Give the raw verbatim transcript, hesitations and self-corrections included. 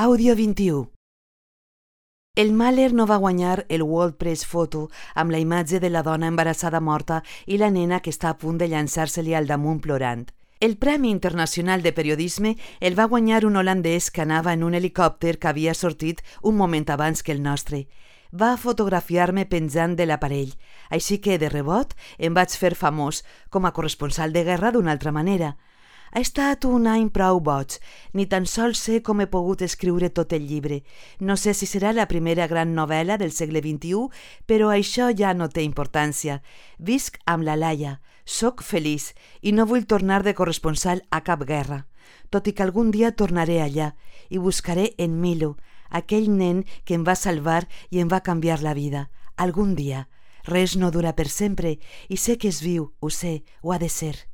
Àudio vint-i-u. El Mahler no va guanyar el World Press Photo amb la imatge de la dona embarassada morta i la nena que està a punt de llançar-se-li al damunt plorant. El Premi Internacional de Periodisme el va guanyar un holandès que anava en un helicòpter que havia sortit un moment abans que el nostre. Va fotografiar-me penjant de l'aparell, així que, de rebot, em vaig fer famós com a corresponsal de guerra d'una altra manera. Ha estat un any prou boig. Ni tan sols sé com he pogut escriure tot el llibre. No sé si serà la primera gran novel·la del segle vint-i-u, però això ja no té importància. Visc amb la Laia, soc feliç i no vull tornar de corresponsal a cap guerra. Tot i que algun dia tornaré allà i buscaré en Milo, aquell nen que em va salvar i em va canviar la vida. Algun dia. Res no dura per sempre i sé que és viu, ho sé, ho ha de ser.